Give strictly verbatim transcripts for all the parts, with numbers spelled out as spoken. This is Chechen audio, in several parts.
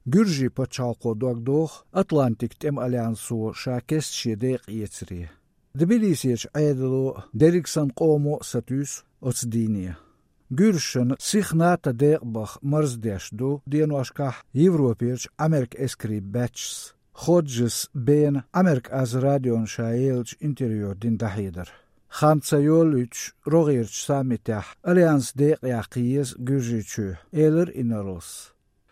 Гуьржийн пачхьалкхо дог доху Атлантик тӀеман альянсо ша кеста шен декъа эцаре. Тбилисерчу Ӏедало дерриг санна къомо а сатуьйсу оцу дийне. Гуьржашна сиха НАТО декъа баха марздеш ду деношкахь Европерчу Ӏамеркан эскарийн баьччас. Ходжес Бена Ӏамеркан аз радиона ша еллачу интервьюхь дина дӀахьедар. Хан ца йолуьйтуш рогӀерчу саммитехь альянс декъаяккха еза Гуьржийчоь, элира инарлас.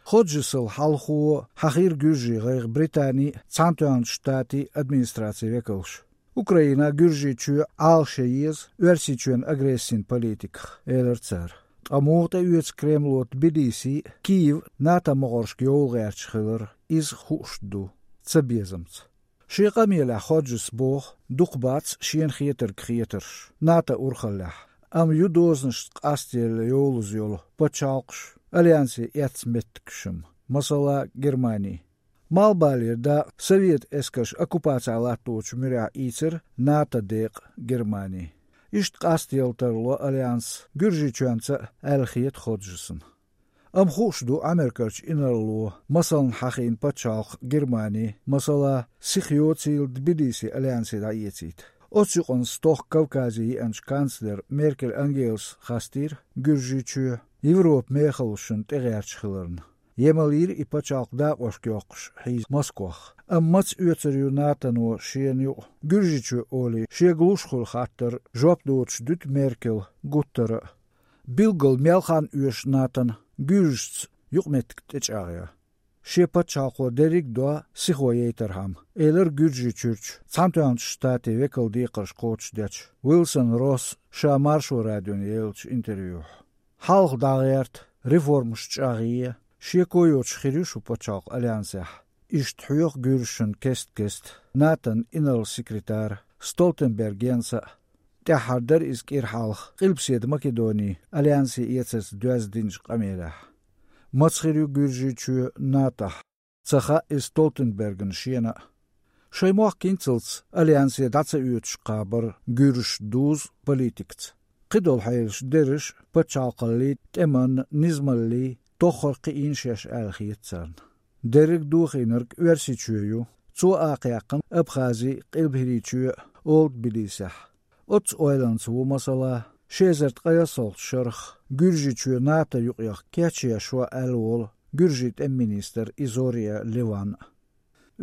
Ходжесал хьалхо хьахийра гуьржийн гӀайгӀа Британин а, Цхьаьнатоьхначу Штатийн администрацин векалш. Украина Гуьржийчоь Ӏалашъян еза Оьрсийчоьнан агрессин политиках, элира цара. Ткъа муха тӀеоьцу Кремло Тбилиси а, Киев а НАТО могӀаршка йовла гӀерташ хилар, иза хууш ду, цабезамца. Шен къамелехь Ходжес боху, дукха бац шена хетарг хетарш НАТО урхаллехь, амма ю дозанашца къастъелла йовлаза йолу пачхьалкхаш а, альянсе эцна меттигаш а, масала, Германи. Малхбалера дакъа советан эскарш оккупацехь латточу муьрехь ийцира НАТО декъа Германи. Иштта къастъелла тарло альянс Гуьржийчоьнца а, аьлла хета Ходжесна. Амма хууш ду Ӏамеркарчу инарло масална хьахийна пачхьалкх Германи, масала, сиха йоцийла Тбилиси альянсе дӀаэцийта. Оцу юкъанна стохка Кавказе еанчу канцлера Меркель Ангелас хастийра Гуьржийчоь Европан мехаллашна тӀегӀерташ хиларна. Емал йира и пачхьалкх дакъошка йоккхуш хьийза Москох. Амма маца оьцур ю НАТОно шена юкъа Гуьржийчоь олий, шега луш хуьлу хаттар жоп доцуш дуьту Меркела гуттара а. Билггал мел хан оьшу НАТОна гуьржашца юкъаметтиг тӀечӀагӀъян? Шен пачхьалкхо дерриг а до сихо яйтархьама, элира Гуьржийчуьрчу Цхьаьнатоьхначу Штатийн векалан декхарш кхочушдечу Уилсон Росса ша Маршо радиона еллачу интервьюхь. Хьалха дӀагӀерта, реформаш чӀагӀъе, шеко йоцуш хир ю шун пачхьалкх альянсехь. Иштта хьоьху гуьржашна кест-кеста НАТОн инарла секретара Столтенберг Йенса а. ТӀаьххьара дара иза кӀира хьалха Къилбаседа Македони альянсе эцарца доьзна динчу къамелехь. Маца хир ю Гуьржийчоь НАТОхь, ца хаьа иза Столтенбергна шена а. Шайн мохк хӀинццалц альянсе дӀа ца оьцуш кхабар гуьржашна дузу политикаца. Кхидолу хьелаш дерриш а пачхьалкхаллин, тӀеман, низамаллин тоххара кхиийна шаьш аьлла хета царна. Дерриг а дохийнарг Оьрсийчоь ю, цо акхаяьккхина Абхази, Къилба ХӀирийчоь а, олу Тбилисехь. Оццу ойланца ву, масала, ши эзар ткъайоьсналгӀачу шарахь Гуьржийчоь НАТО юкъах кечъеш ву аьлла волу Гуьржийн тӀеман министр Изория Леван а.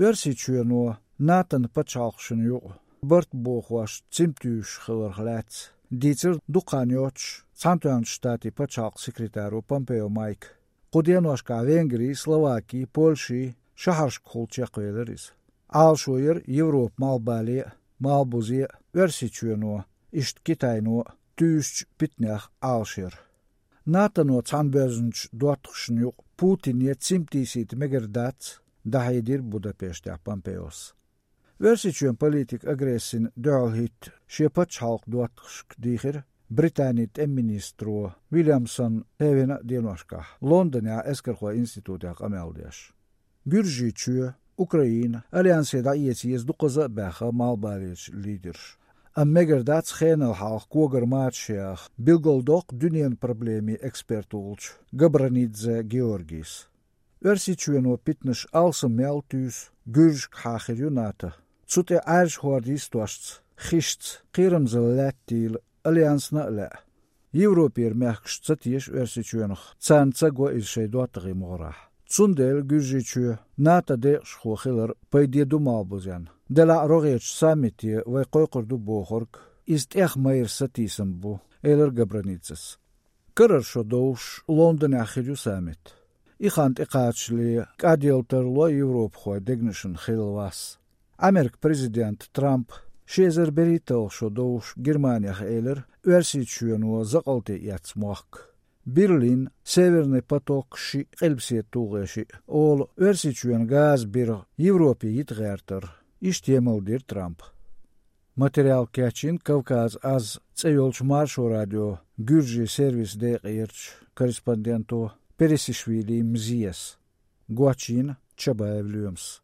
Оьрсийчоьно НАТОн пачхьалкхашна юкъа барт бохош цимтуьйсуш хиларх лаьцна дийцира дукха хан йоццуш Цхьаьнатоьхначу Штатийн пачхьалкхан секретаро Помпео Майка. Кху деношкахь Венгри, Словаки, Польши шахьаршкахула чекхвелира иза. Ӏалашо яра Европан малхбале а, малхбузе а Оьрсийчоьно, иштта Китайно а туьйсучу питанех Ӏалашъяр. НАТОно цхьаьнабоьзначу доттагӀашна юкъа Путине цимтийсийта мегар дац, дӀахьедира Будапештехь Помпеос. Оьрсийчоьнан политика агрессина дуьхьал хӀитта шен пачхьалкхан доттагӀашка дийхира Британин тӀеман министро Вильямсон Хевена а деношкахь, Лондонехь эскархойн институтехь къамел деш. Гуьржийчоь, Украина альянсе дӀаэца еза дукхаза а баьхна малхбалерчу лидерша. Амма мегар дац хенал хьалха когара мачаш яха, билгалдоккху дуьненан проблемийн эксперт волчу Габранидзе Георгийс. Оьрсийчоьно питанаш алсам мел туьйсу гуьржашкахьа хир ю НАТО. Цу тӀе Ӏаьржа хӀордан йистошца, хишца, кхерамзалла лаьттийла альянсна а лаьа. Европера мехкаш ца теша Оьрсийчоьнах, царна ца го иза шайн доттагӀийн могӀарехь. Цундела Гуьржийчоь НАТО декъашхо хилар пайде ду малхбузенна. Делахь а рогӀерчу саммите вай кхойкхур ду бохург, иза тӀех майра сатийсам бу, элира Габранидзес. Карара шо довш Лондонехь хир ю саммит. И хан тӀекхачале кӀадъелла тарло европахойн дегнашна хилла вас. Американ президент Трамп ши эзар берхӀитталгӀа шо довш Германех элира Оьрсийчоьно закъалте эцна мохк. Берлин, Северный поток шиъ, Къилбаседа ТулгӀе шиъ, олу Оьрсийчоьнан газан биргӀа Европе йита гӀертар. Иштта емал дира Трампа. Материал кечйина Кавказ аз цӀе йолчу Маршо радион гуьржийн сервисан декъерчу корреспонденто Пересишвили Мзиес. Гочйина Чабаев Лоьмас.